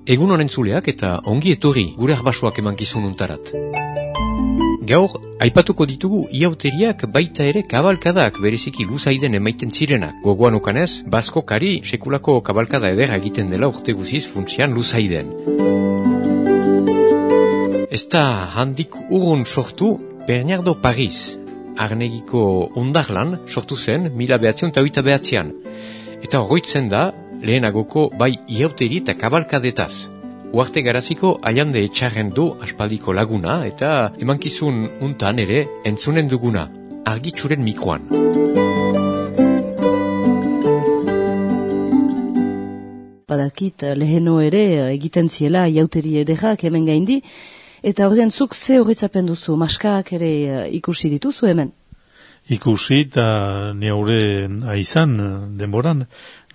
Egun honen zuleak eta ongi etorri gure arbasoak emankizun untarat. Gaur, aipatuko ditugu iauteriak baita ere kabalkadak bereziki luzaiden emaiten zirenak. Gogoan ukanez, Baskokari sekulako kabalkada ederra egiten dela urte guziz funtsian luzaiden. Ez da handik urrun sortu Bernardo Paris, Arnegiko ondarlan sortu zen 1929. Eta horroitzen da lehenagoko bai iauteri eta kabalkadetaz. Uarte garaziko Allande Etxarren du aspaldiko laguna eta emankizun untan ere entzunen duguna, argitxuren mikroan. Badakit leheno ere egiten ziela iauteri ederrak hemen gaindi, eta ordean zuk ze horretzapen duzu, maskak ere ikusi dituzu hemen? Ikusi eta neure aizan denboran,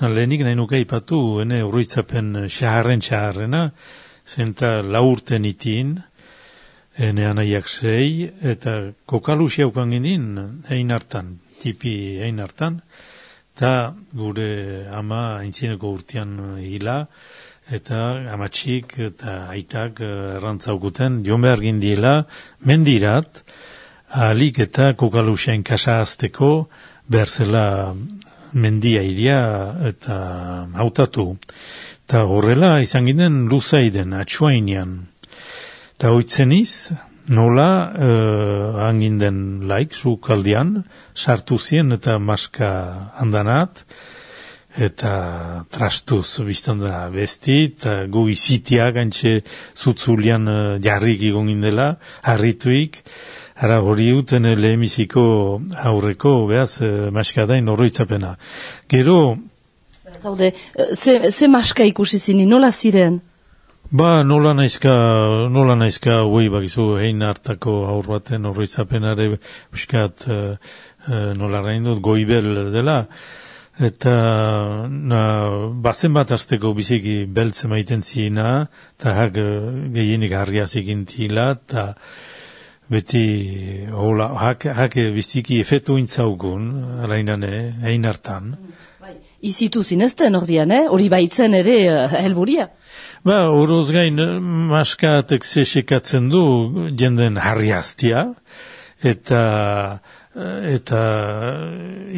lehenik nahi nuke ipatu, ene horretzapen xaharrena, zenta laurten itin, ene anaiak 6, eta kokalusi haukan gindin, hein hartan, tipi hein hartan, eta gure ama aintzineko urtean hila, eta amatxik eta aitak errantzaukuten, joan behar gindiela, mendirat, ahalik eta kokalusiain kasa azteko, behar zela mendia iria eta hautatu. Eta horrela izan ginen luzaiden, atxuainean. Eta hoitzeniz, nola hanginden laik, zukaldian, sartu zien eta maska handanat, eta trastuz biztan da besti, eta gu izitia gantxe zutzulian jarrik egon gindela, harrituik, ara hori uten lehemiziko aurreko, behaz, maskadain horroitzapena. Gero... Zaude, ze maska ikusi zini, nola ziren? Ba, nola naizka, hui bakizu, hein hartako aur baten horroitzapenare, biskat, nola raindut, goibel dela, eta bazen bat azteko biziki beltze maiten zina, eta hak gehienik harriaz egintila, eta beti hola, hak biziki efetu intzaugun, alainane, hein hartan. Izitu zinezten ordian, hori baitzen ere helburia? Ba, horoz gain maskatek zesekatzen du jenden harriaztia, eta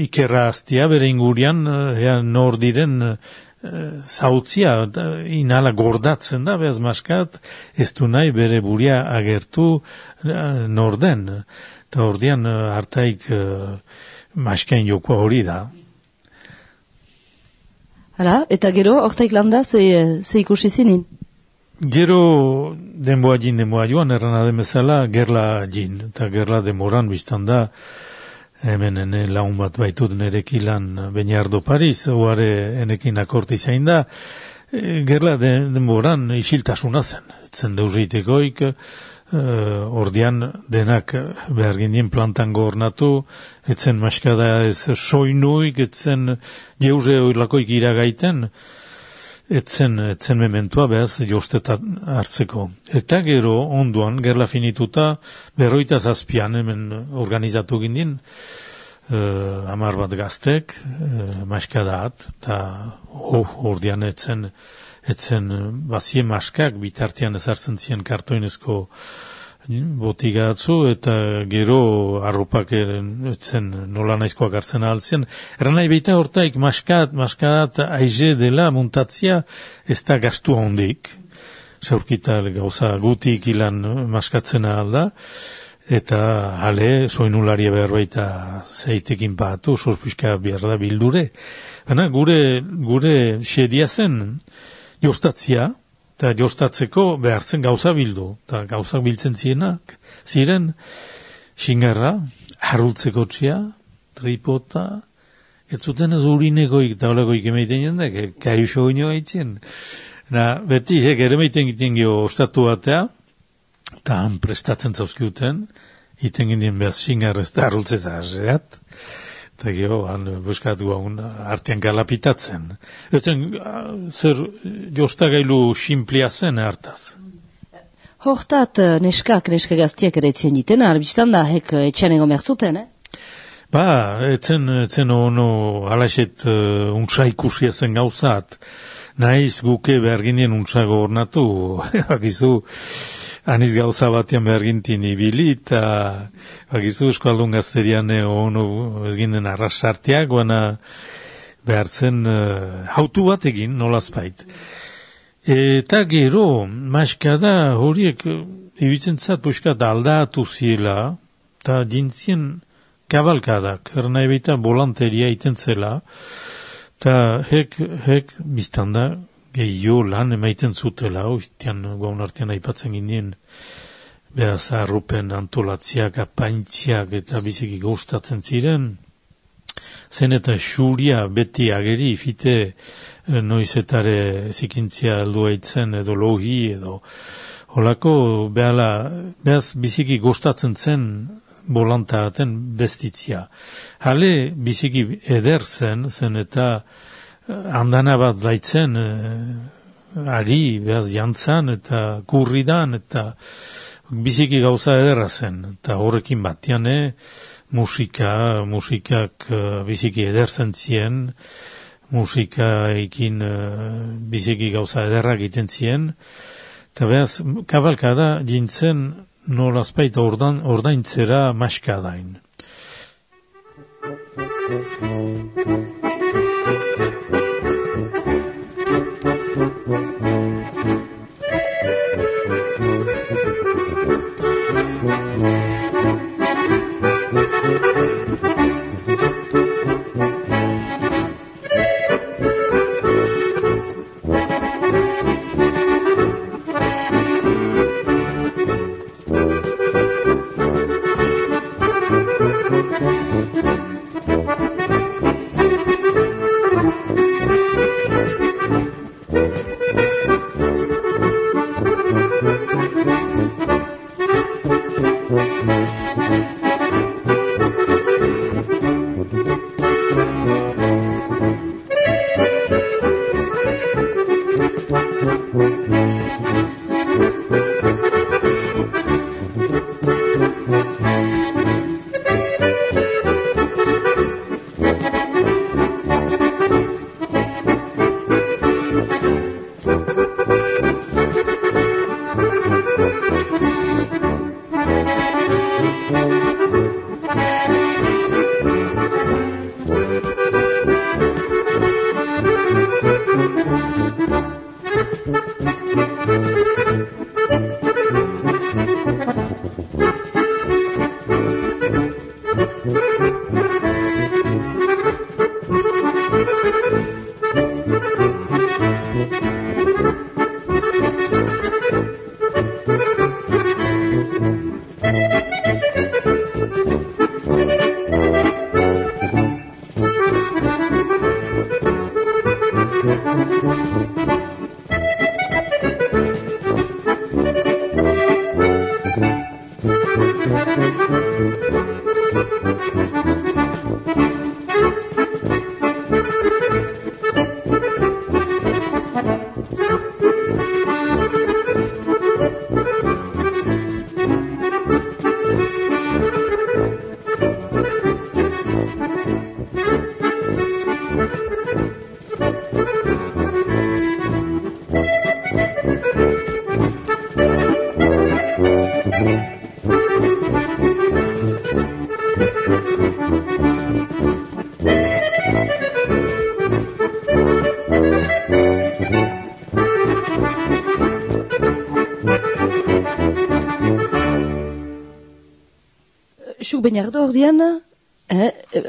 ikerra aztia bere ingurian nor diren zautzia inala gordatzen da, behaz maskat ez du nahi bere buria agertu norden. Eta ordian hartaik maskain jokoa hori da. Hala, eta gero, hortaik landa, ze ikusi zinin? Gero denboa joan, erran ademezala, gerla jin. Eta gerla demoran biztan da, hemen laun bat baitut nerekilan Bernardo Paris, oare enekin akorti zain da, gerla denboran isiltasuna zen. Etzen deurritekoik, ordian denak behar gindien plantan gornatu, etzen maskada ez soinuik, etzen jeuse oilakoik iragaiten, etzen mementua behaz jostetan hartzeko. Eta gero onduan, gerla finituta, 57 hemen organizatu gindien, 10 bat gaztek, maskadaat, eta ordian etzen bazie maskak bitartean ezartzen ziren kartoinezko botigatzu, eta gero arropak etzen nola naizkoak hartzen ahaltzen. Erran nahi baita hortaik maskadat aize dela muntatzia ez da gastu hondik. Zaurkita gauza gutik ilan maskatzen ahal da, eta hale soinularia behar baita zeitekin patu, sorpuska behar da bildure. Baina gure xedia zen, jostatzia, eta jostatzeko behartzen gauza bildu. Eta gauzak biltzen ziren, xingarra, harrultzeko txia, tripota, ez zuten ez urinekoik eta olakoik emaiten jendek, kaiuso ino haitzen. Beti, ere meiten giten gio ostatu batea, eta han prestatzen zauzkiuten, iten gindien behaz xingarra ez da harrultzez ahazeat, eta gero, buskatu artean galapitatzen. Etzen, zer jostagailu simplia zen hartaz. Hortat, neska gaztiak ere etzen ditena, albistan da, etxan egon behar zuten, Ba, etzen ono alaxet untsa ikusia zen gauzat. Naiz guke beharginien untsago ornatu, bakizu, aniz gauza batean behargintin ibili, eta bakizu Euskaldun gazterian ono ez ginen arrasartiak, guana behartzen hautu bat egin, nolazpait. Eta gero, maska da, horiek ibitzen zat, puskat aldatu ziela, eta dintzien kabalkadak, ernai baita volanteria iten zela, eta hek biztanda gehiago lan emaiten zutela, oiztian gaun artean aipatzen ginen, behaz arrupen antolatziak, apaintziak eta biziki gustatzen ziren, zen eta xuria beti ageri, fite noizetare zikintzia aldua itzen edo logi edo holako behaz biziki gustatzen zen bolantaten bestitzia. Hale biziki eder zen eta andana bat daitzen ari behaz jantzan eta kurridan eta biziki gauza ederra zen. Eta horrekin batian musikak biziki eder zen zien, musikaekin biziki gauza ederrak egiten zien, eta behaz, kabalkada jintzen nolazpait ordaintzera maskadain. Zuk bainardo ordean,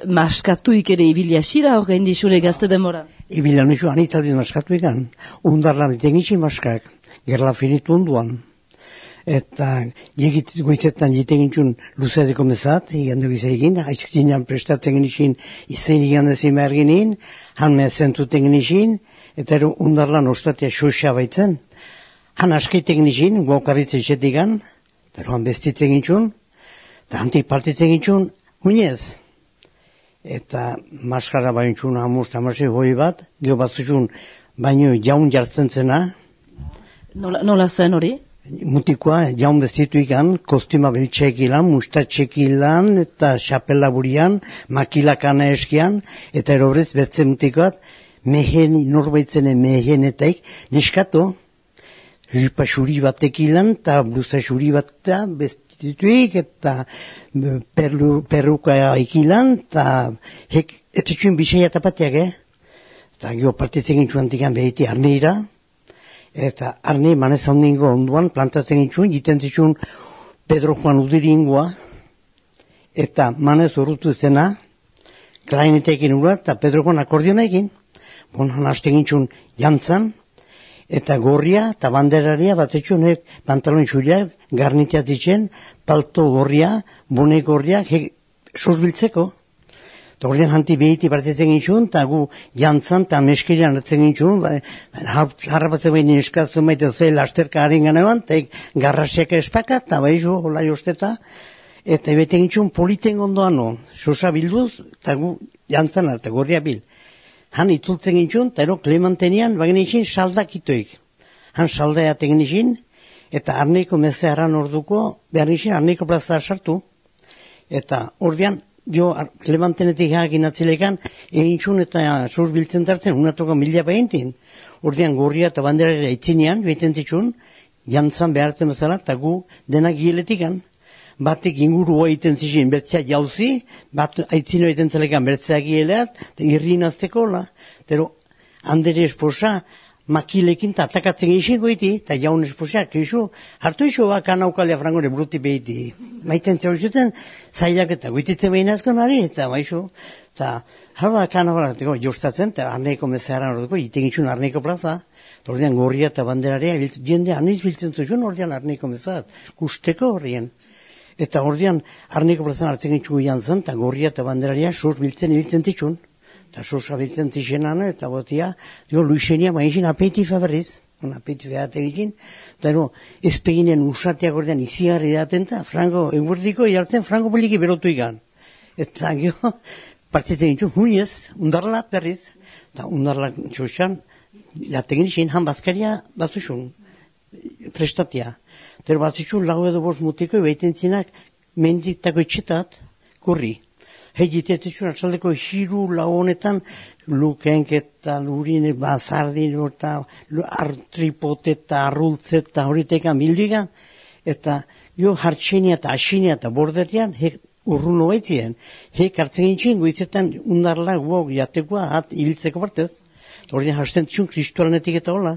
maskatuik ere ibilia xira horrein dixure gazte demora. Ibilia nizu anitadiz maskatuikan, undarlan etenitzi maskak, gerla finitu onduan. Eta goizetan jitegintzun luzadeko mezat, egan dugu izan, aizkizinan prestatzen genizin, izen egan ezin behar genin, han mezentuten genizin, eta ero undarlan ostatia xoxa baitzen. Han askeitek genizin, guaukarritzen xetigan, eta ero han bestitzen gintzun, eta hantik partitzen gintzun, huinez. Eta maskara baintzun hamuz tamasei hoi bat, geho batzutxun baino jaun jartzen zena. Nola zen hori? Mutikoa jaun bestituikan, kostima beltxekilan, mustatxekilan, eta xapela burian, makilakana eskian, eta erobrez betze mutikoat, norbaitzenen mehenetaik, neskatu, jupa xuri batek ilan, eta blusa xuri bat bestituik, eta perruka ikilan, eta etetxuen bisea tapatiak, eta gio partitzen gintxuan digan behiti arneira, eta arne manez handingo onduan, plantatzen gintxuen, jiten zitxuen Pedro Juan Udiringoa, eta manez urrutu zena, klainetekin ura, eta Pedro Juan akordiona egin, bonan haste gintxuen jantzan, eta gorria eta banderaria batetxunek pantalon xuriak garnitiaz ditzen, palto gorria, bone gorria, sosbiltzeko. Eta ordean hanti behiti partitzen gintxun, eta gu jantzan eta meskerian hartzen gintxun, harrapatzen behin eskazun maite zei lasterka haren ganean, eta garrasiak espaka, eta baizu, hola josteta, eta bete gintxun politen ondoan, sosa bilduz, eta gu jantzan eta gorria bil. Han itzultzen gintxun, eta ero Klementenian bagin izin saldakitoik. Han saldea tegen izin, eta arneiko mezearan orduko, behar izin arneiko plaza sartu. Eta ordean, jo Klementenetik hagin atzilekan, egin txun eta surs biltzen tartzen, unatoko mila behintin. Ordean gorria eta banderara itzinean, behiten zitxun, jantzan behartzen bezala, eta gu denak giletikan. Batek ingurua egiten zizien bertzea jauzi, bat aitzino egiten zelekan bertzea gileat, irrin azteko, pero handere esposa makilekin eta atakatzen izin goiti, eta jaun esposa, keixo, hartu iso bakan aukalea frangore bruti behiti. Maiten zeu zuten, zailak eta goititzen behin azko nari, eta baixo, eta harba kanabarateko jostatzen, eta arneiko mezearan orduko, iten gitxun arneiko plaza, ordean gorria eta banderaria, jende aniz biltzen zuen ordean arneiko mezat, gusteko horrien. Eta ordean, arneko plazan hartzen gitzugu jantzen, eta gorria eta banderaria sos biltzen ibiltzen titxun. Eta sosa biltzen tixenan, eta botia, Luisenia maizin apetifa berriz, apetifa egin, eta ezpeginen usateak ordean izigarri daten, eta frango, eguerdiko jartzen frango poliki berotu ikan. Eta partitzen gitzu, huinez, undarlat berriz, eta undarlat txosan, jaten gitxin, han bazkaria batzuxun, prestatia. Pero batzitxun lau edo bost mutiko ebaiten zinak menditako etxetat kurri. Hegitetetxun atzaldeko hiru lau honetan lukenk eta lurine, bazardin eta artripote eta arrultze eta horitekan bildigan. Eta jo hartxenia eta asinia eta borderian urrun hobaitzien. Hartzen gintxin goizetan undarla guok jatekoa ibiltzeko partez. Horien hasten txun kristualanetik eta hola.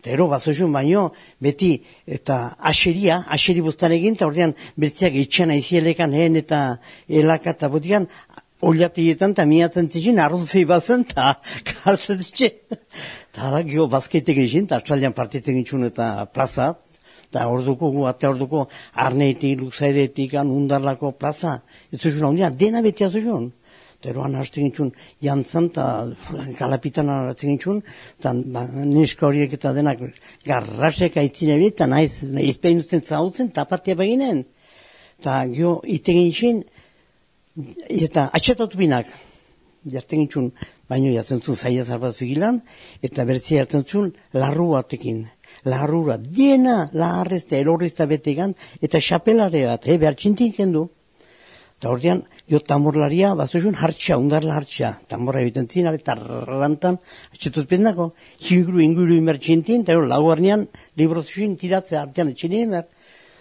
Eta ero, bazoizun baino, beti, eta aseri buztan egin, eta ordean bertziak etxean aizielekan ehen eta elaka eta botikan, oliateietan eta miatzen zizien, arruzei bazen, eta kartzen zizien. Eta da, gio, bazkeitek egin, eta atzaldean partitzen gintxun eta plazat, eta orduko, orduko, arneitik, luzaidetik, undarlako plaza, ez zuzun hau dena beti azuzun. Eta eroan hasten gintxun jantzan, eta kalapitan hartzen gintxun, eta neska horiek eta denak garrasek aitzin ebi, eta naiz ezpein uzten zautzen, tapatia beginen. Eta gio, ite gintxin, eta atxetatu binak, jartzen gintxun, baino jazentzun zaila zarbatzu gilan, eta bertzia jartzen larru batekin. Larrura, diena, laharrezta, elorrezta betegan, eta xapelare bat, behar txintin kendu. Eta ordean, jo tamborlaria, bazoizun hartxa, undarla hartxa. Tamborra egiten zinak, eta rantan, atxetut pendako, inguru imertxintin, eta lau arnean, librozuzin tiratzea artean etxinien,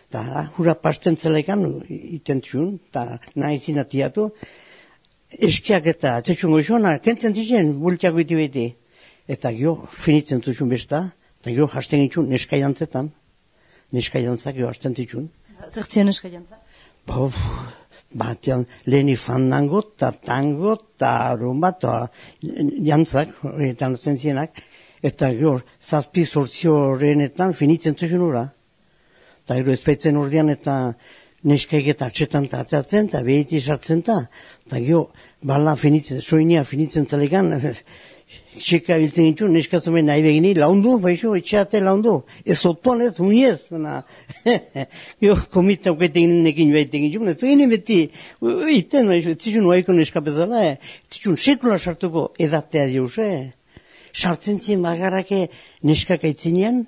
eta hura pasten zelekan, iten txun, eta nahi zinatiatu, eskiak eta atzetxun goizona, kentzen zitzen, bultiak beti. Eta gio, finitzen zuzun besta, eta gio, hasten gitxun, neska jantzetan, neska jantzak gio hasten zitxun. Zertzio neska jantzak? Batean leheni fandango, eta tango, eta rumba, eta jantzak, horretan zentzienak, eta gero, zazpi sortzio horrenetan finitzen zuzun ura. Eta gero ezpeitzen ordean eta neskaik eta atxetan eta atzatzen, eta behiti sartzen eta gero, bala finitzen, soinia finitzen zalegan, txeka biltzen gintxun, neskazumen nahi begini, laundu, baixo, etxeate laundu. Ez otuan ez, uniez. Jo, komita uketekin nekin baiten gintxun, ez begini beti, iten, baixo, etzitxun oaiko neskapezala, etzitxun sekula sartuko edatea diuz, sartzen zien bagarrake neskak aitzinean,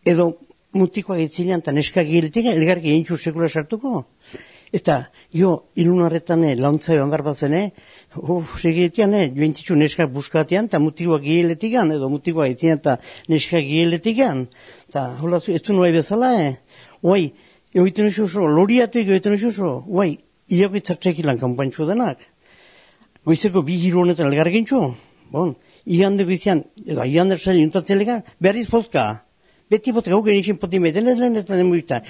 edo mutikoak aitzinean, eta neskak giletik, elgarki egintxu sekula sartuko. Eta, ilunarretan launtza joan behar batzen, segitian, jointitzu neskak buskatean, eta mutikoak gieletikan, edo mutikoak etian eta neskak gieletikan. Eta, hola, ez du nuai bezala, Oai, egiten oso, loriatuik egiten oso, oai, iakitzartzekilan kanpantxo denak. Goizeko bi hiru honetan elgargintxo, igande goizian, edo igande zaila juntatzelegan, berriz pozka. Beti potka, hau genixin poti maiten ez lehen eta demuita.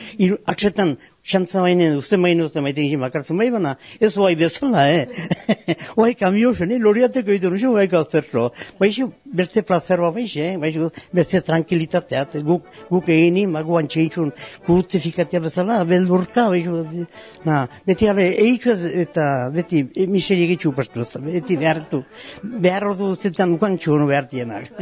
Aksetan, xantza bainen, uste maiten gizin bakartzen bai bana, ez oai bezala, Oai, kamio zen, loriateko egiten oso, oai gaztertzo. Baixo, bertze plazerua baixe, baixo, bertze tranquilitateat, guk egini, magu antxeitxun, kurtifikatea bezala, beldurka, baixo, beti ale, eitxu eta beti, miseri egitxu pastu, beti behar ordu zetan ukantxu hono behartienak.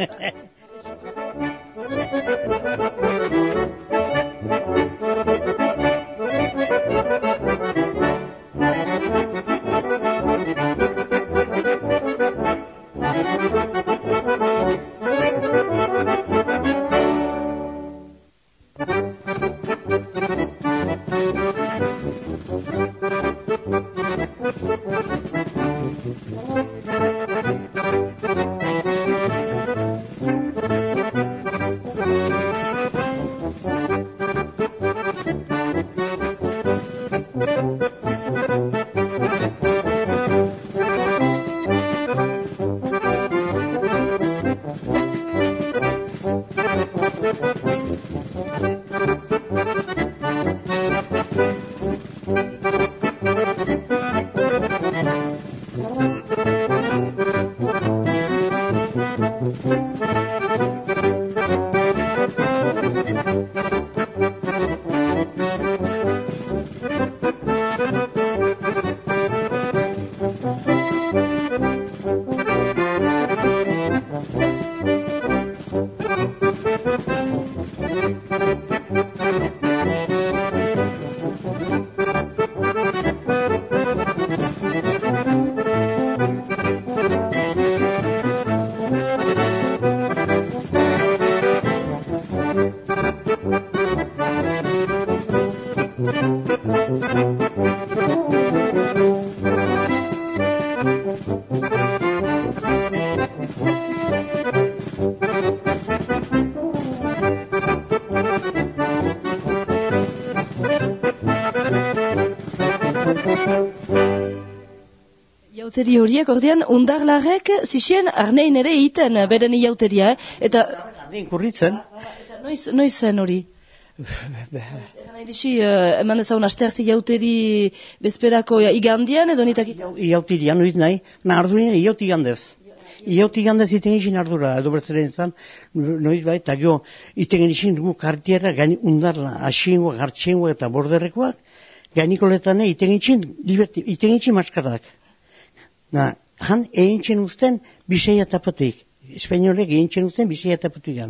Iauteri horiek, ordean, undarlarrek zixien arnein ere iten beren iauteria, eta... Arnein kurritzen. Eta noiz zen hori? Eran edisi, eman ezagun asterti iauteri bezperako igandian, edo nitak iten? Iautirian, noiz nahi, ardurien iauti gandez. Iauti gandez iten izin ardura, edo bertzeren zan, noiz bai, eta gio, iten izin gu kartiera, gaini undarla, asiengoak, hartxiengoak eta borderrekoak, gainikoletan iten izin maskadak. Han egintzen uzten biseia tapatuik. Espainolek egintzen uzten biseia tapatuik.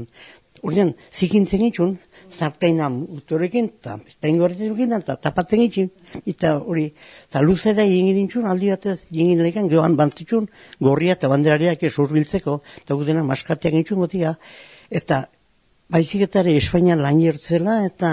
Ordean, zikintzen itxun, zartaina utorekin, eta espaingoretzen dukin, eta tapatzen itxun. Eta hori, eta luze da egin itxun, aldi batez, egin lekan, gehoan bantzitxun, gorria eta banderariak esurbiltzeko, eta gudena maskateak itxun gotia. Eta baizik eta ere Espainian lan jertzela, eta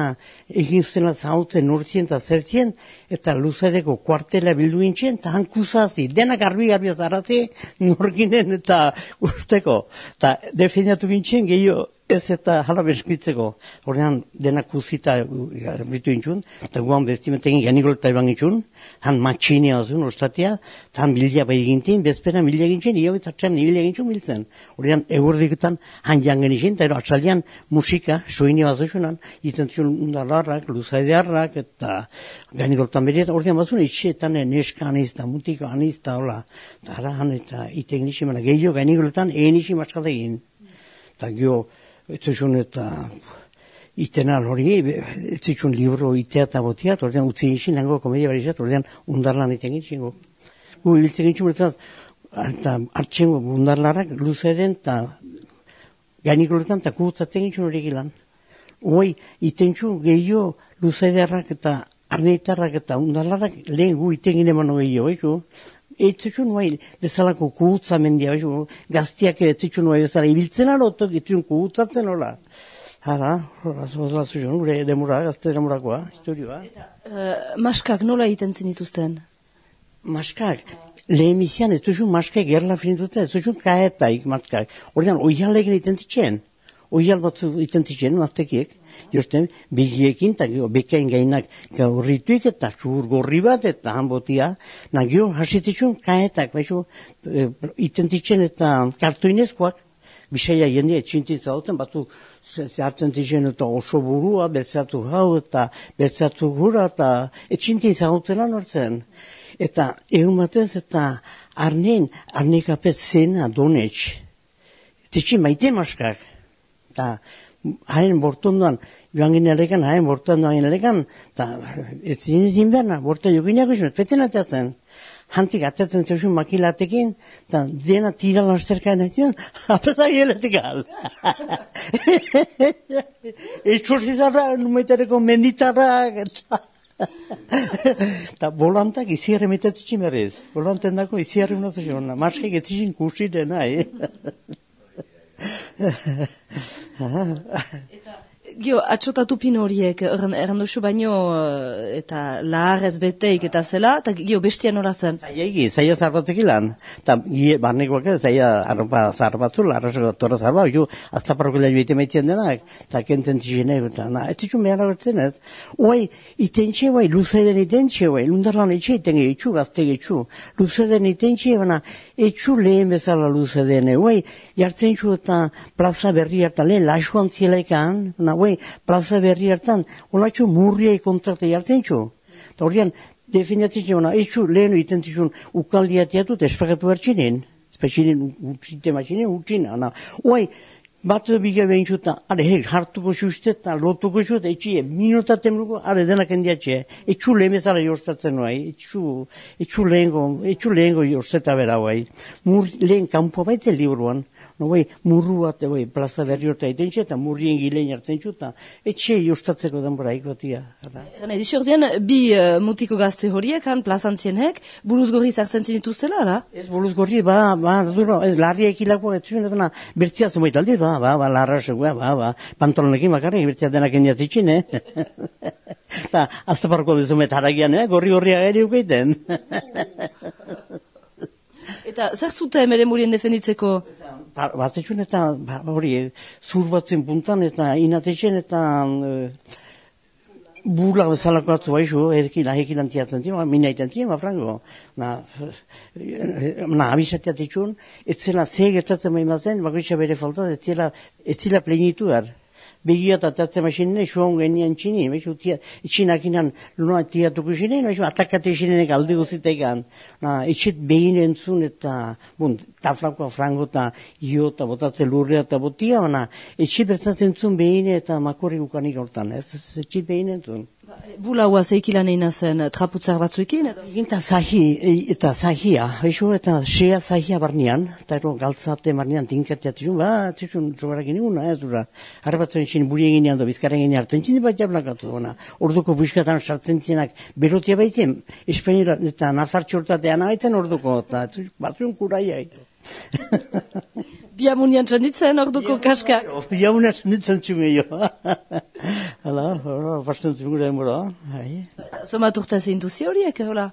egin zela zautzen urtzien eta zertzien, eta luzedeko kuartela bildu gintxen, eta hankuzazi, denak garbi zarazi, norginen eta usteko. Eta definiatu gintxen, gehiago ez eta jala beskitzeko. Horrean denak uzita garbitu gintxun, eta guan bestimetegin ganikolta eban gintxun, han matxinia azun, ostatia, eta han bilia bai gintin, bezpera bilia gintzen, iabitzatxan bilia gintxun biltzen. Horrean egurdiketan han jangen izin, eta atzaldian musika, soini bazuzunan, itentzun undarlarrak, luzaidearrak, eta ganikoltan beriet, horrean bazun, itxetan neska aniz, eta mutika aniz, eta hola, eta han eta iten izimena, gehiago ganikoletan egin izin maskata egin. Eta gio, etzuzun eta itenal hori, etzuzun libro itea eta botiat, ordean utzi izin lango komedia barizat, ordean undarlan iten gintxingo. Gu hiltzen gintxingo, eta hartxengo undarlarrak luzeden eta gainikoletan eta kutzatzen gintxun hori gilan. Hoi, itentxu gehiago luzedearrak eta arneitarrak eta undarlarrak lehen gu iten gine mano gehiago, Eitzitxun nuai bezalako kuhutza mendia, gaztiak eitzitxun nuai bezala ibiltzen alotok, eitzitxun kuhutzatzen hola. Hala, horra zuen, gure demura, gazte demurakoa, historioa. Maskak nola egiten zinituzten? Maskak, lehemizian ez duzun maskak gerla finitute, ez duzun kaetaik maskak. Horrean, oialek egiten zitzen. Oial batzu egiten zitzen, maztekiek. Josten, begiekin, eta bekain gainak gaurrituik, eta txur gorri bat, eta hanbotia. Nagio, hasititzun kaetak, baixo, egiten zitzen, eta kartoinezkoak. Bisaia jende etxintin zauten, batzu zehartzen zitzen eta oso burua, bertzatu hau eta bertzatu gura eta etxintin zauten anortzen. Eta egun batez eta arnekapet zena donetx. Etxin maite maskak. Eta hain bortondoan, joan ginealekan, hain bortondoan ginealekan, eta ez zin berna, borta joginak izan, petzen ateatzen. Hantik atatzen zeusun makilatekin, eta dena tira lasterkaen egiten, apetak hieletik al. Etxorzizarra, numaitareko menditarrak, eta volantak iziarri metatzen berriz. Volanten dako iziarri unatzen, maskek etzizin kursiren, nahi. Gio, atxotatu pin horiek, erranduzu baino, eta laharrez beteik eta zela, eta gio, bestia nola zen? Zaila zarbatzeki lan, eta barnekoak ez, zaila arropa zarbatzu, larraseko torra zarba, aztaparroko lehio ite maitzen denak, eta kentzen txine, eta ez ditxun behar abertzen ez. Oai, itentxe, luzeden itentxe, lundarlan etxe itenge etxu, gazte etxu, luzeden itentxe, baina etxu lehen bezala luzeden, jartzen txu eta plaza berri hartan, lehen lasuan zielaikan, plaza berri hartan, olatxo murriai kontrate jartzen txu. Eta horrean, definiatzen txu, etxu lehenu itentizun ukaldia teatut espagatu bertxinen, espaginen utxina. Oai, bat biga behin txuta, hartuko xuste eta lotuko xuste, etxie, minutat emluko, denak endiatxe, etxu lehen bezala jorstatzen nuai, etxu lehengo jorsteta bera, lehen kanpoa baitzen liburuan, murru bat, plaza berri horta itenxe, eta murrien gilein hartzen txuta, etxe jorstatzeko denbora ikotia. Edizio ordean, bi mutiko gazte horiek, han plazantzienek, buruz gorri zartzen zinituztela, da? Ez buruz gorri, larria ekilako, bertzia zumait aldi, larra segua, pantalonekin bakarrik, bertzia denak endiatzitxin, eta aztaparko dezumet haragian, gorri-gorria ere ukeiten. Eta zer zuten ere murien defenditzeko? Batetxun eta hori, zur batzen puntan eta inatetxen eta burla bezalako atzu baizu, ekilan tiatzen zima, mina iten zima, frango. Abisateatetxun, ez zela zegetatzen maimazen, bakoitza bere falta, ez zela plenitu behar. Begia eta tatzen masinene, suon genian txini, etxinakinan luna tiatuko zinen, atakate zinenek alde guzitekan. Etxet behin entzun eta, taflakoa frango eta io eta botatzen lurrea eta botia, etxet bertzatzen zuen behin eta makorri gukanik hortan, etxet behin entzun. Bulaua zeikilan egin zen traputzar batzuekin, edo? Eta zahia, eta sea zahia barnean, eta galtzate barnean tinkateatizun, zizun zobarakin eguna, ez dura. Harra batzen zin buri egin edo, bizkaren egin hartzen zin, bat jablakatu, orduko buskatan sartzen zinak berotia baiten, Espainera eta nafartxortatean abaitzen orduko, eta batzuen kuraiai. Biamunian txanditzen orduko kaskak. Biamunian txanditzen txumeio. Hala, basten zugura emora. Zomat urta zintuzi horiek, hola?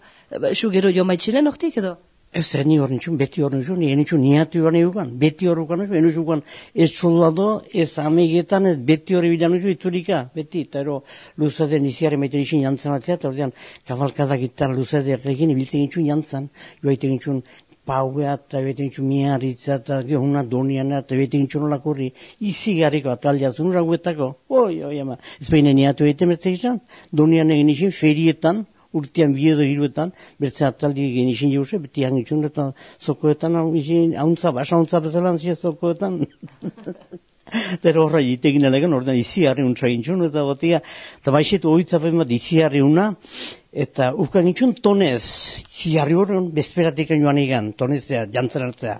Xu gero jo maitxinen hortik edo? Ez ni hor nitxun, beti hor nitxun, nitxun niatu hor nitxun, beti hor nitxun, ez soldado, ez amegetan, ez beti hori bilan nitxun, itzurika, beti, eta ero luzaden iziare maiten nitxun jantzan atzea, eta ordean kabalkadak eta luzadeak egin, ibiltzen nitxun jantzan, joaiten nitxun, paua eta beten txu miarritza eta gehuna doniana eta beten txu nolakorri izigarriko atalia zunura guetako. Ez behin niatu egiten bertzak izan, donian egin izin ferietan, urtean biedo hiruetan, bertze ataldi egin izin jauze, beti hangitxun eta zokoetan hauntza, basa hauntza bezalan zia zokoetan. Pero horra jitegin elegan, ordean iziarri untsa gintxun, eta batia, eta baixetu oitzapen bat iziarri una, eta ukan gintxun tonez, ziarri horren bezperatik joan egan, tonezea, jantzen hartzea.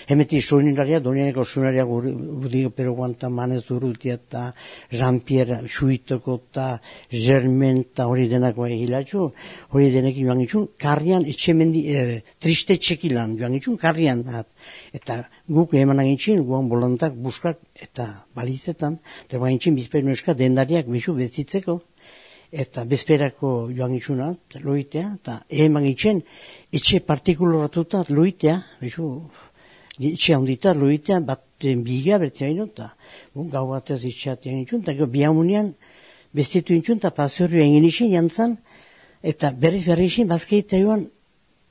Hemeti soinularia, donianeko soinularia Gudigo Peroguan eta Manez Urrutia eta Jean-Pierre Suitoko eta Germain eta hori denako hilatxu, hori denekin joan itxun, karrian etxemendi, triste txekilan joan itxun, karrian. Eta guk eman agintxin, guan bolantak, buskak eta balizetan, eta guan itxin bizperu eska dendariak bezu bezitzeko. Eta bezperako joan itxunat, loitea, eta eman itxen, etxe partikuloratuta loitea, bezu, etxe handita loitea, bat biga bertzea ino, eta gau batez itxeat egin itxun, eta bihamunean bestitu itxun, eta pasorioa egin itxen jantzan, eta berriz itxen, bazkeita joan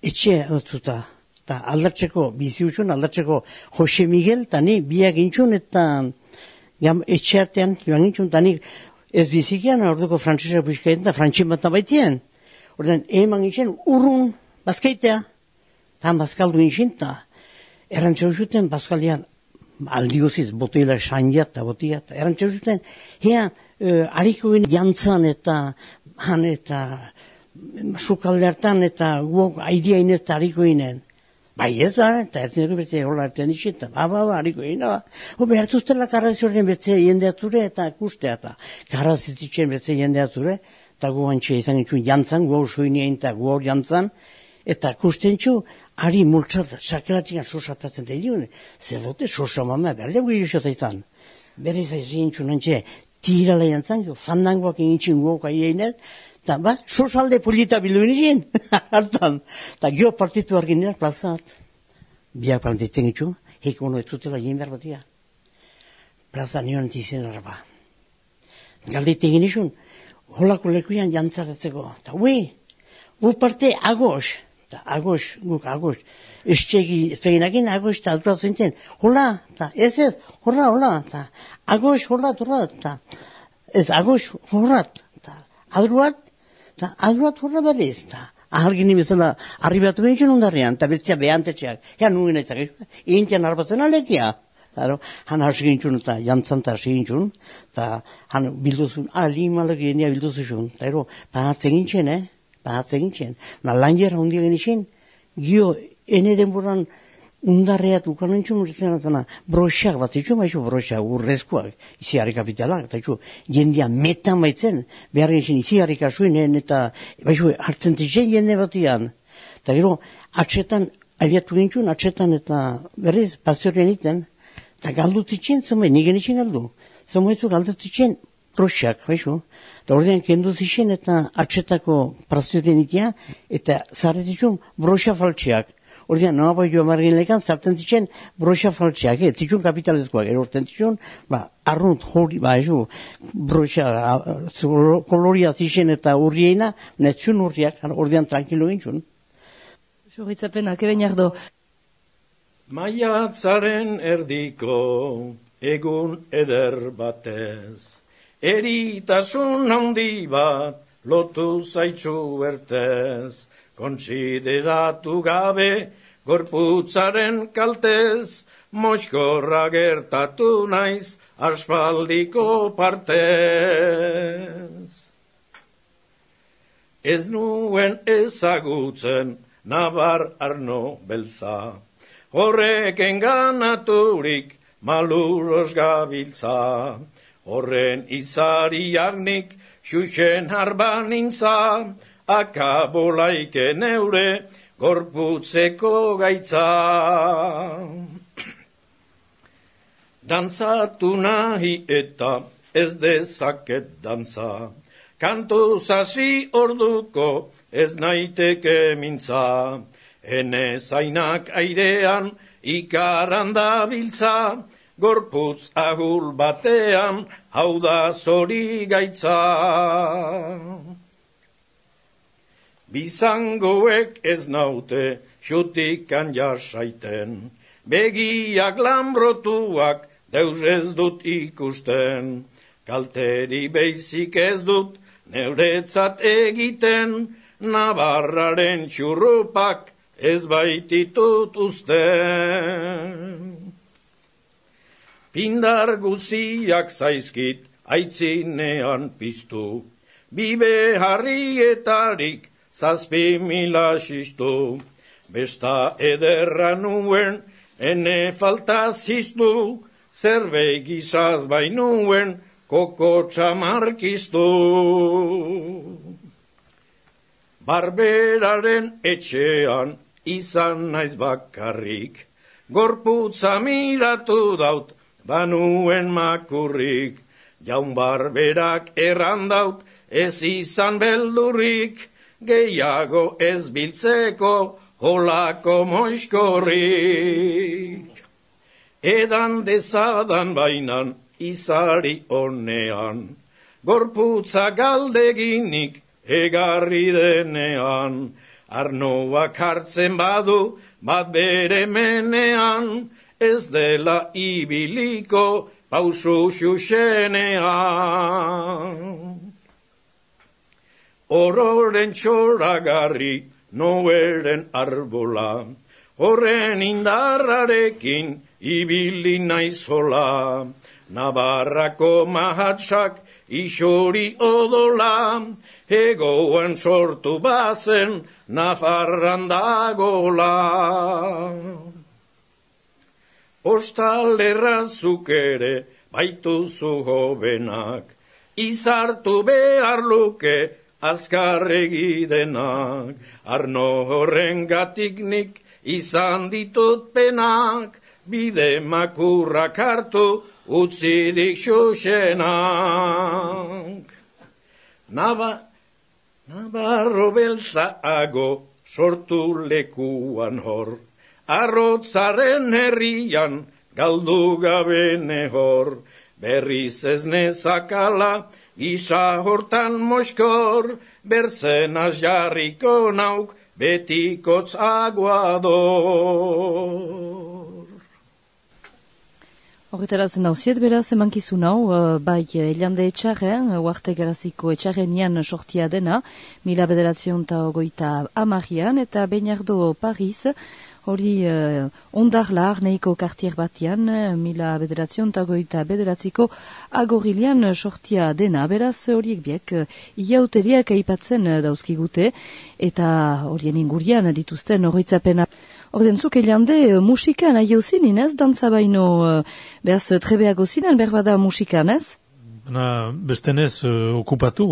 etxe altuta. Eta aldatzeko, bizi utxun, aldatzeko Jose Miguel, eta ni biak intxun, eta etxe artean joan intxun, eta ni ez bizikian, orduko frantzesa puizkaetan, eta frantzien bat baitien. Ordean, eman itxen, urrun, bazkaitea. Eta bazkaldu itxen, eta errantzeu zuten, bazkaldean, aldioziz, botila sanjat eta botiat, errantzeu zuten, harikoen jantzan eta han eta sukalde hartan eta guok aideain eta harikoinen. Bai ez da, eta erteneko bertzea hola erten itxe, eta harikoin, behartuztela karrazioaren bertzea jendeatzure eta kustea, eta karrazititzen bertzea jendeatzure, eta gu antxe izan itxun jantzan, gu hor soinean eta gu hor jantzan, eta kusten txu, ari multzat, sakelatikan sosatatzen da idun, zer dute sosa mama, berdea gu irusota izan. Berriz aizien txun antxe, tirala jantzan, fandangoak egin txun guok aieinet, eta sosalde polita bildu inizien, hartan. Eta gio partitu arginera plazat. Biak plantetzen itxu, heko ono ez zutela egin behar batia. Plaza nion entizien araba. Galdeite egin izun, holako lekuian jantzaratzeko. Eta gu parte agos. Eta agos, guk agos. Espeginagin agos eta alduratzen zen. Hola, eta ez, hola, eta agos, hola, eta ez agos, hola, eta aldurat, eta aldurat horra berriz, eta ahalgini bezala arribatu behintzen ondarrean, eta betzea behantetxeak, nuen aitzak, intian arbatzen alekia. Han hasi gintzun eta jantzan eta hasi gintzun, eta han bilduzun, limalak genia bilduzun, eta pahatzen gintzen, lan jera hundia genixen, gio, ene denboran undarreat ukan entzun urtean broxak bat itxu, baizu broxak, urrezkoak, iziarri kapitalak, eta itxu, jendia metan baitzen, behar genixen iziarri kasuinen, eta baizu hartzen zitzen jende batian. Eta gero, atxetan, abiatu gintzun, atxetan eta berriz, pastorien iten, eta galdu zitzen, zomai, nik genixen galdu. Zomaizu galdu zitzen broxak, baizu. Eta ordean kendu zitzen eta atxetako pastorien itea, eta zarretitzun broxa faltxeak. Ordean, noa bai joa margin lekan, zartzen zitzen broxa faltxeak, zitzun kapitalezkoak, erorten zitzun, arrunt hori, broxa koloria zitzen eta urriena, netzun urriak, ordean tranquilo gintzun. Jorritzapenak, eben jardo. Maiatzaren erdiko egun eder batez, eritasun handi bat lotu zaitzu bertez, kontsideratu gabe gorputzaren kaltez, moixkorra gertatu naiz aspaldiko partez. Ez nuen ezagutzen nabar arno beltza, horrek enganaturik maluros gabiltza, horren izariagnik xuxen harban nintza, akabolaike neure gorputzeko gaitza. Dantzatu nahi eta ez dezaket dantza, kantu zasi orduko ez naiteke mintza, ene zainak airean ikaran dabiltza, gorputz ahul batean hau da zori gaitza. Bizangoek ez naute xutikan jasaiten, begiak lambrotuak deus ez dut ikusten, kalteri beizik ez dut neuretzat egiten, Navarraren txurrupak ez baititut usten. Pindar guziak zaizkit aitzinean piztu, bibe harrietarik 7.000 xistu. Besta ederra nuen, ene falta ziztu, zerbait gizaz bainuen, koko txamarkiztu. Barberaren etxean izan naiz bakarrik, gorputza miratu daut, banuen makurrik, jaun barberak errandaut, ez izan beldurrik, gehiago ez biltzeko, holako moiskorrik. Edan dezadan bainan, izari honean, gorputza galdeginik, egarri denean, arnoak hartzen badu, bat bere menean, ez dela ibiliko, pausu xuxenean. Ororen txoragarri, noeren arbola, horren indarrarekin, ibili naizola, Navarrako mahatsak, isori odola, egoan sortu bazen, Nafarran dagola. Ostalerrazuk ere, baituzu hobenak, izartu behar luke, azkarregi denak, arno horren gatiknik, izan ditut penak, bide makurrak hartu, utzidik xuxenak. Nabarro belzaago sortu lekuan hor, arrotzaren herrian galdu gabe nehor, berriz ez nezakala gisa hortan moskor, berzenaz jarriko nauk betikotz aguador. Horretarazen dauziet beraz emankizun hau, bai elande etxarren, uarte garaziko etxarrenian sortia dena, 1950 eta Beñardo Paris, hori ondarla arneiko kartier batean, 1959 agorilian sortia dena, beraz horiek biek iauteriak aipatzen dauzkigute, eta horien ingurian dituzten horretzapena. Ordentzuk elande musikan aio zinin ez, dantza baino behaz trebeago zinen, berbada musikan ez? Bestenez okupatu,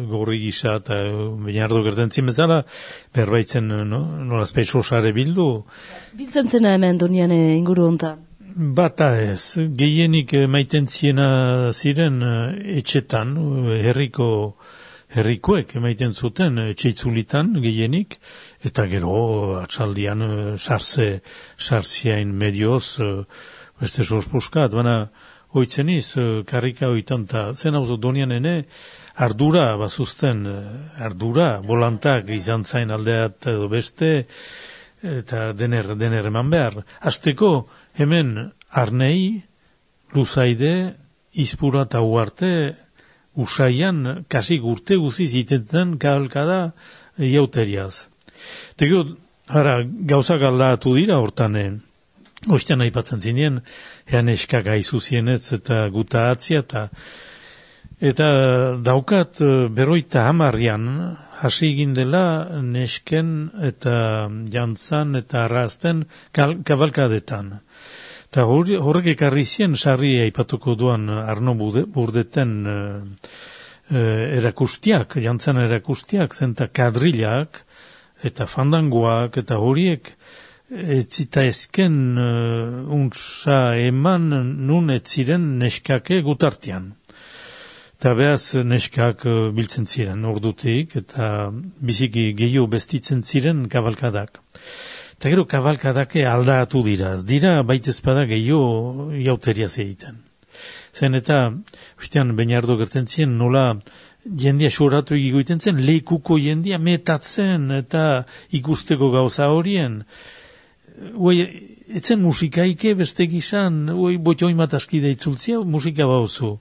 gorri gisa eta Beñardo gertentzien bezala, berbaitzen nolazpeit sosare bildu. Biltzen zena hemen donian inguru hontan? Bata ez, gehienik maiten ziena ziren etxetan, herrikoek emaiten zuten etxeitzulitan gehienik, eta gero atxaldian sartziain medioz, beste sospuskat, baina hoitzeniz, karrika hoitan, eta zen hau donian ene, ardura bazuzten, ardura, bolantak izan zain aldeat edo beste, eta dener eman behar. Azteko, hemen arnei, luzaide, izpura eta uarte, usaian, kasik urte guziz itetzen kahalkada iauteriaz. Tego, gauzak aldatu dira hortan, oiztean aipatzen zinien, ean eskak aizu zienetz eta guta atzia, eta daukat berroita hamarrian, hasi egin dela nesken eta jantzan eta arrazten kabalkadetan. Eta horrek ekarri zien, sarri aipatuko duan Arno Burdeten erakustiak, jantzan erakustiak, zenta kadrilak eta fandangoak eta horiek etzita ezken untsa eman nun etziren neskake gutartian. Eta behaz neskak biltzen ziren ordutik eta biziki gehiago bestitzen ziren kabalkadak. Eta gero kabalkadake aldatu dira, dira baitezpada gehiago iauteriaz egiten. Zen eta, ustean, Beñardo gertentzien nola jendia soratu egiten zen, lekuko jendia metatzen eta ikusteko gauza horien. Etzen musikaike beste gizan, botioin mataskide itzultzia, musika bauzu.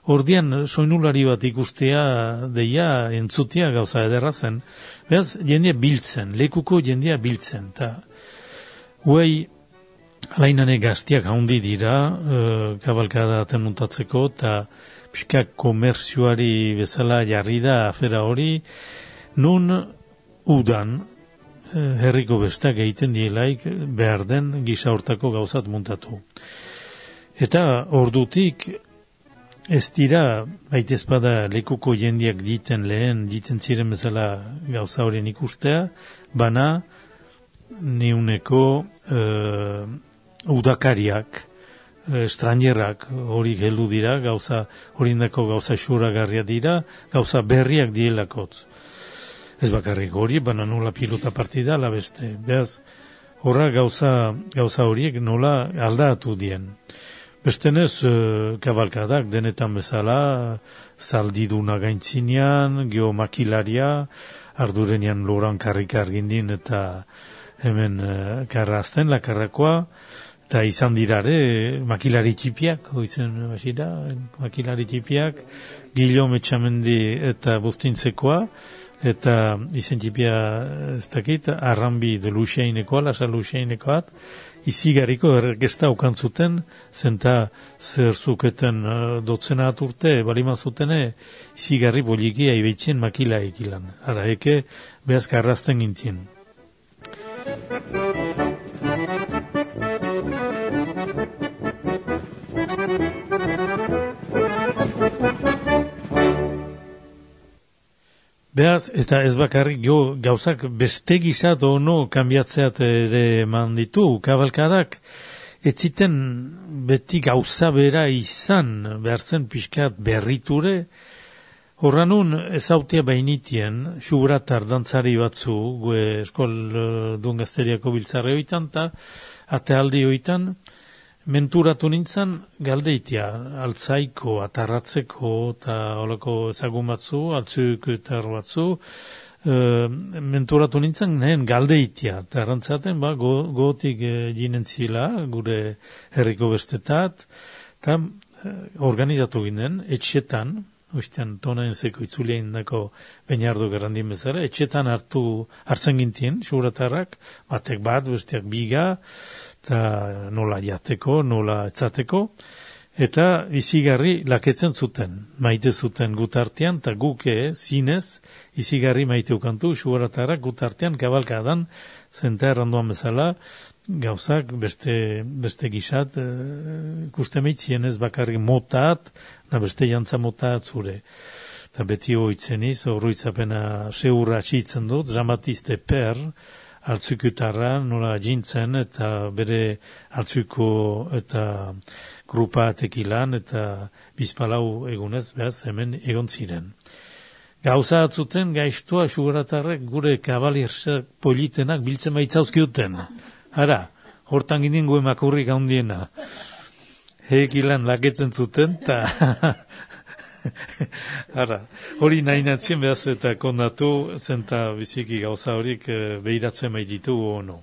Ordian, soinulari bat ikustea, deia, entzutia gauza ederra zen. Beraz, jendia biltzen, lekuko jendia biltzen. Alainane gaztiak haundi dira, kabalkada tenuntatzeko, eta pixkak komerzioari bezala jarri da afera hori, nun udan herriko bestak egiten dielaik behar den gisa hortako gauzat muntatu. Eta ordutik ez dira, baitezpada lekuko jendiak diten ziren bezala gauza horien ikustea, bana neuneko udakariak, estranjerak hori heldu dira, horindako gauza xuragarria dira, gauza berriak dielakotz. Ez bakarrik hori, bana nola pilota partida, la beste. Beaz, horra gauza horiek nola aldatu dien. Bestenez, kabalkadak denetan bezala, zaldiduna gaintzinean, geomakilaria, ardurenian loran karrika argindin eta hemen karrazten, lakarrakoa, eta izan dirare makilari txipiak, hoizen basira, makilari txipiak, Gilo Metxamendi eta Bustintzekoa, eta izen txipia ez dakit, Arrambi de Luxeinekoa, Lasa Luxeinekoat, izigarriko ergesta okan zuten, zenta zer zuketen dotzena aturte, balima zutene, izigarri boliki aibetzen makila ekilan. Ara, eke, behaz karrazten gintien. Beaz, eta ez bakarrik gauzak beste gizat ono kanbiatzeat ere eman ditu, kabalkadak, ez ziten beti gauza bera izan, behar zen pixkat berriture, horranun ezautia bainitien, xuratar dantzari batzu, gue eskol duen gazteriako biltzarre hoitan, eta atealdi hoitan, menturatu nintzen galdeitia, altzaiko, atarratzeko, eta holako ezagun batzu, altzuk eta batzu, menturatu nintzen nehen galdeitia, eta errantzaten, gotik jinen zila, gure herriko bestetat, eta organizatu ginen, etxetan, oiztean tonaen zeko itzulein dako Beñardo Gerrandin bezala, etxetan hartzen gintien, xuratarrak, batek bat, besteak biga, eta nola jateko, nola etzateko, eta izigarri laketzen zuten, maite zuten gutartean, eta guke zinez, izigarri maite ukantu, xuratarrak gutartean kabalkadan, zenta erranduan bezala, gauzak beste gizat, ikusten ez bakarrik motat, beste jantza motat zure. Eta beti hoitzeniz, horruitzapena seurra txitzen dut, dramatizte per, altzukutarra nola jintzen, eta bere altzuko eta grupa atekilan, eta bizpalau egunez, behaz, hemen egon ziren. Gauza atzuten gaiztua xugaratarrek gure kabaliersak politenak biltzen baitzauzkiuten. Ara, hortan ginen gue makurrik handiena. Hekilan laketzen zuten, eta ara, hori nahi natzien behaz eta kondatu, zenta biziki gauza horik behiratzen baititu ono.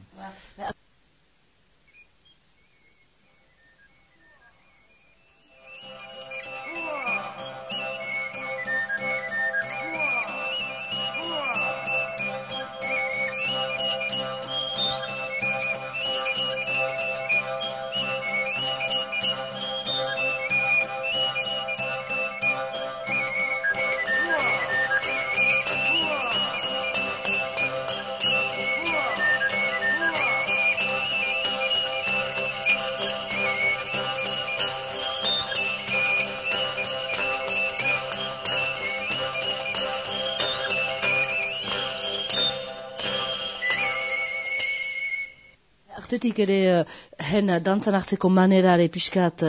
Artetik ere, hen dantzan hartzeko manerare pixkat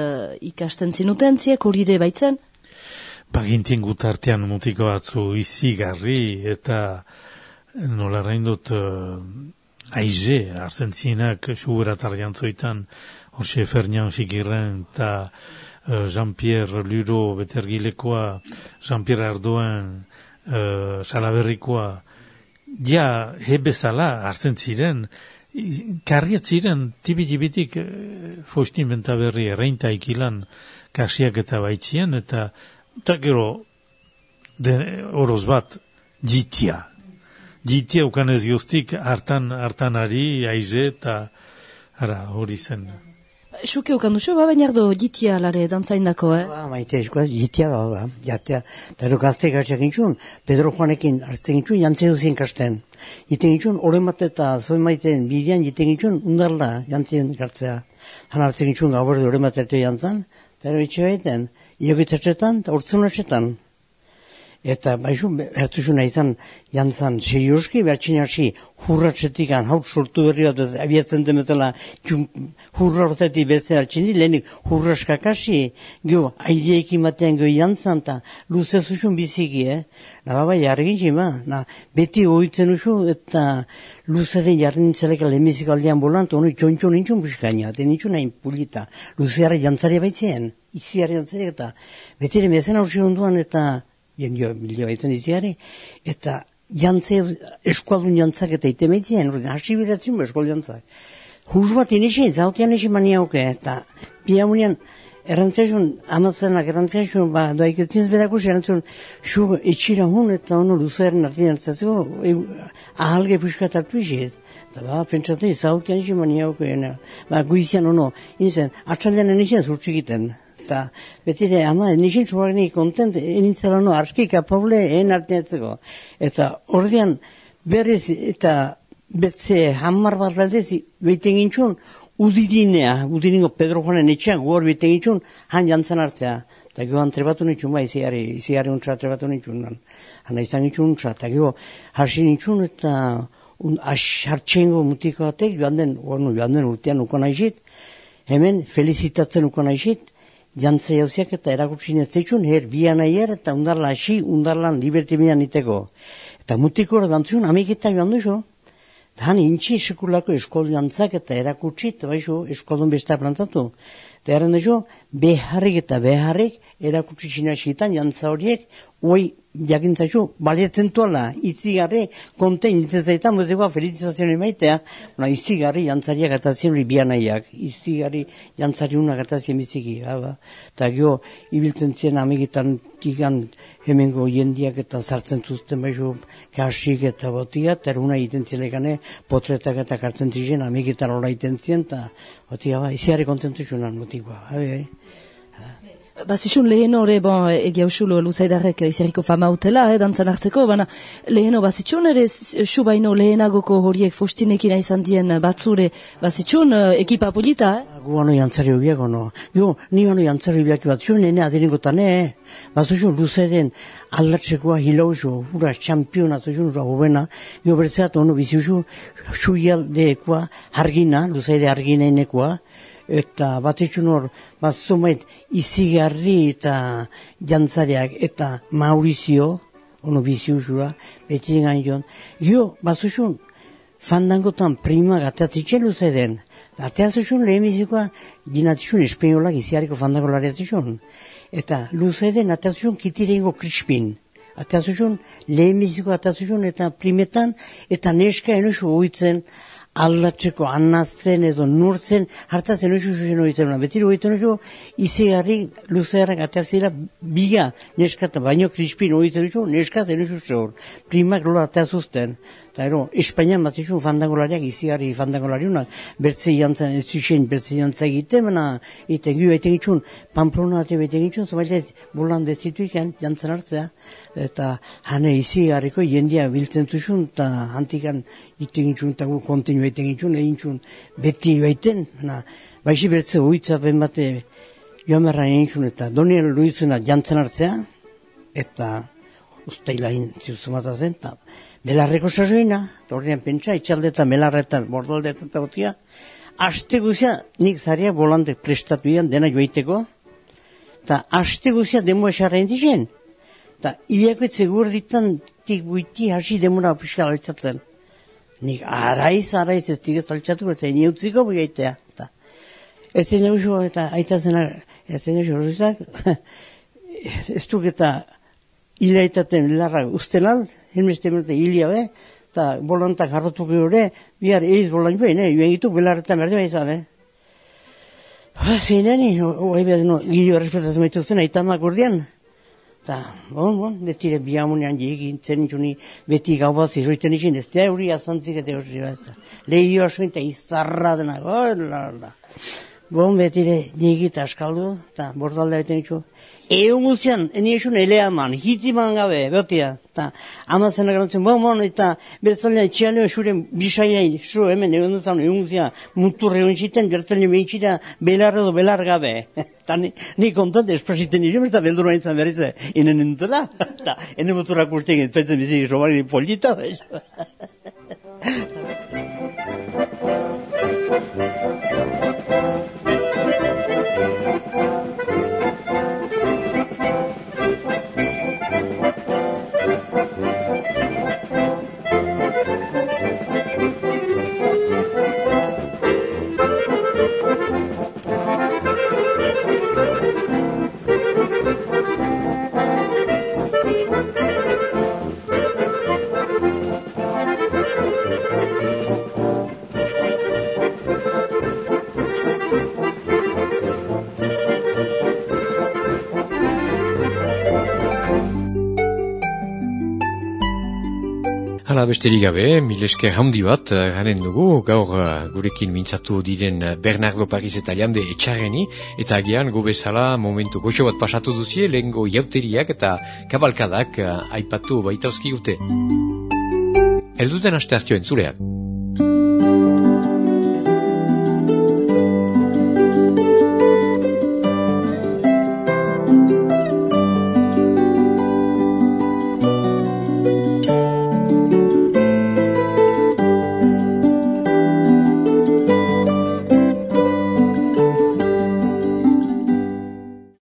ikasten zinuten ziek, hori ere baitzen? Bagintien gutartean mutiko batzu izigarri eta nola reindut aize, arzen zinak xuguratar jantzoitan, Horxe Fernian Xikirren eta Jean-Pierre Luro betergilekoa, Jean-Pierre Ardoen Salaberrikoa, ja hebezala arzen ziren, karriat ziren, tibi-tibitik Faustin Bentaberri erreinta ikilan kasiak eta baitzien, eta gero oroz bat jitia. Jitia ukanez guztik hartan ari, aize, eta hori zen. Xuke ukan duzu, bainardo jitia lare dantzaindako, Maite eskoa, jitia, jatea. Eta edo gazte gatzak intxun, Pedro Juanekin hartzen intxun, jantze duzien kasten. Jiten intxun, oremat eta zoin maiten bidean jiten intxun, undarla jantzien gartzea. Han hartzen intxun, gaur oremat erte jantzan, eta ero itxe baiten, iogitzatxetan, eta urtzunatxetan. Eta baizu, hartuzuna izan jantzan serioski, behatxin hasi hurratxetik haut sortu berri bat abiatzen demetela hurra hortetik bezen hartxini, lehenik hurraskakasi, geho, aideekin batean geho jantzan, eta luze zuzun biziki, Bai, jarri gintxima, beti oitzen usu, eta luze den jarri nintzeleka lehemezik aldean bolant, honu txontxo nintzun buskaina, eta nintzun hain pulita, luzeara jantzari baitzen, iziari jantzari, eta beti ere mezen hausi onduan, eta jendio bilio baitzen iziari, eta jantze, eskualdun jantzak eta itemeitzen, hasi biratzen eskualdun jantzak. Huz bat inizien, zautian izin maniauke, eta piamunian, errantzaisun, amazzenak errantzaisun, doaik etzinz bedakus, errantzaisun, xu etxira hun, eta ono luzearen artian hartzatzeko, ahalge puskat hartu izit. Eta pentsatzen, zautian izin maniauke, guizian ono, inzen, atxaldean inizien zurtsikiten. Eta beti de, ama, nixin txuagni kontent, enintzela no, arski kapable, artenetzeko. Eta ordean, berriz, eta betze hamar bat aldez, behiten gintxun, udiringo Pedro Juanen etxean, guhor behiten gintxun, han jantzan hartzea. Eta gero trebatu nintxun, iziari untsa trebatu nintxun, hana izan gintxun untsa, eta gero harsi nintxun, eta hartxengo mutiko batek, joan den urtean uko naizit, hemen felizitatzen uko naizit, jantze jauziak eta erakutsin ez teitxun, bian aier eta undarla hasi, undarlan libertimian iteko. Eta mutiko hori bantzun, amiketan joan duzu. Eta han intxi sekulako eskol jantzak eta erakutsi, eta baizu eskolun besta plantatu. Eta erren duzu, beharrik erakutsi sinasitan jantza horiek, hoi jakintzaizu, baliatzen tuala, itzigarri, kontein itzezaitan, mozekoa felicitazioa maitea, itzigarri jantzariak atazien hori bianaiak, itzigarri jantzari unak atazien biziki. Eta gero, ibiltzen zien amegitan kikan hemengo jendiak eta sartzen zuzten baizu kasik eta botia, eta eruna egiten zilegane, potretak eta kartzen ziren, amegitan hola egiten zien, eta botia, izigarri kontentu zunan motikoa. Bazizun lehen hori, egia usulo luzaidarrek izerriko fama utela, dantzan hartzeko, baina leheno bazitxun ere subaino lehenagoko horiek fostinekin izan dien batzure, bazitxun ekipa polita, Gu ano jantzari hobiak, ono. Jo, ni ano jantzari hobiak batzun, nene adiringotan, bazuzun luzeden aldatzekoa hilauzu, hura txampiona zuzun, hura hobena, jo bertzeat, ono biziuzu, suialdekoa, hargina, luzeide harginainekoa, eta batetxun hor, bazumait, izigarri eta jantzariak, eta Maurizio, ono biziuzua, beti engan joan. Jo, bazuzun, fandangotan prima gateatzen luzeden. Ateazuzun lehemizikoa, ginatizun espainolak iziariko fandangolari atzizun. Eta luzeden ateazuzun kitirengo krispin. Ateazuzun lehemizikoa ateazuzun eta primetan, eta neska enosu oitzen, aldatzeko, anazten edo nurtzen, hartatzen oizu zuzen oitzen. Betiro oitzen oizu, izigarri luzearrak ateazera biga neska eta baino krispin oitzen oizu, neska zen oizu zehor. Primak lola ateazuzten. Eta Espainian bat izun fandangolariak, izigarri fandangolariunak, bertze jantzan, bertze jantzan egiten, eta gu egiten gitxun, Pamplona eta egiten gitxun, zobailet bolan destituik jantzan hartzea, eta hane izigarriko jendia biltzen zuzun, eta hantikan egiten gitxun, eta gu kontinu egiten gitxun, egin txun beti egiten, baixi bertze oitzapen bate joan berra egin txun, eta Doniel Luizuna jantzan hartzea, eta ustaila zuzumata zen, eta belarreko sasoina, ordean pentsa, itxaldetan, belarretan, bordaldetan eta gotia, aste guzia, nik zaria bolante prestatu ian, dena joaiteko, eta aste guzia demua esarra indizien, eta iakoetze gurditan, tik buiti hasi demura piskal altzatzen. Nik araiz ez tigez altzatuko, eta ni utziko buiaitea. Ez zen eguzo, eta aita zena, ez zen eguzo, horrezak, ez duk eta hilaitaten larra ustenal, helmeste menute hilia be, eta bolantak harrotuko gure, bihar eiz bolan joan, joan gitu, belarretan berde behizan, Zeineni, oai behar, gilio errespetatzen baitu zen, aitamak urdian, eta, betire bihamunean jegin, zen txuni, beti gau bat ziroiten izin, ez da euri azantzik eta hori, lehio asoin, eta izarra dena, Bon, betire, nigit askaldu, eta bordalda beten itxu. Egun guztian, eniesun eleaman, hitiman gabe, beotia. Eta amazenak garantzen, bon, eta bertzalean etxean esuren bisaiai, hemen egun duzan, egun guztian, muturre egun ziten, bertzalean behintxita belar edo belar gabe. Eta ni kontant espresiten izan, eta beldurua nintzen berrize, inen nintela. Eta ene muturrak urtean, ez bizik, robari polita, Hala besterik gabe, milesker handi bat garen dugu, gaur gurekin mintzatu diren Bernardo Paris eta Jande Etxarreni, eta agian gobezala momentu goxo bat pasatu duzie, lehengo jauteriak eta kabalkadak aipatu baita oskigute. Elduten aste hartio entzuleak.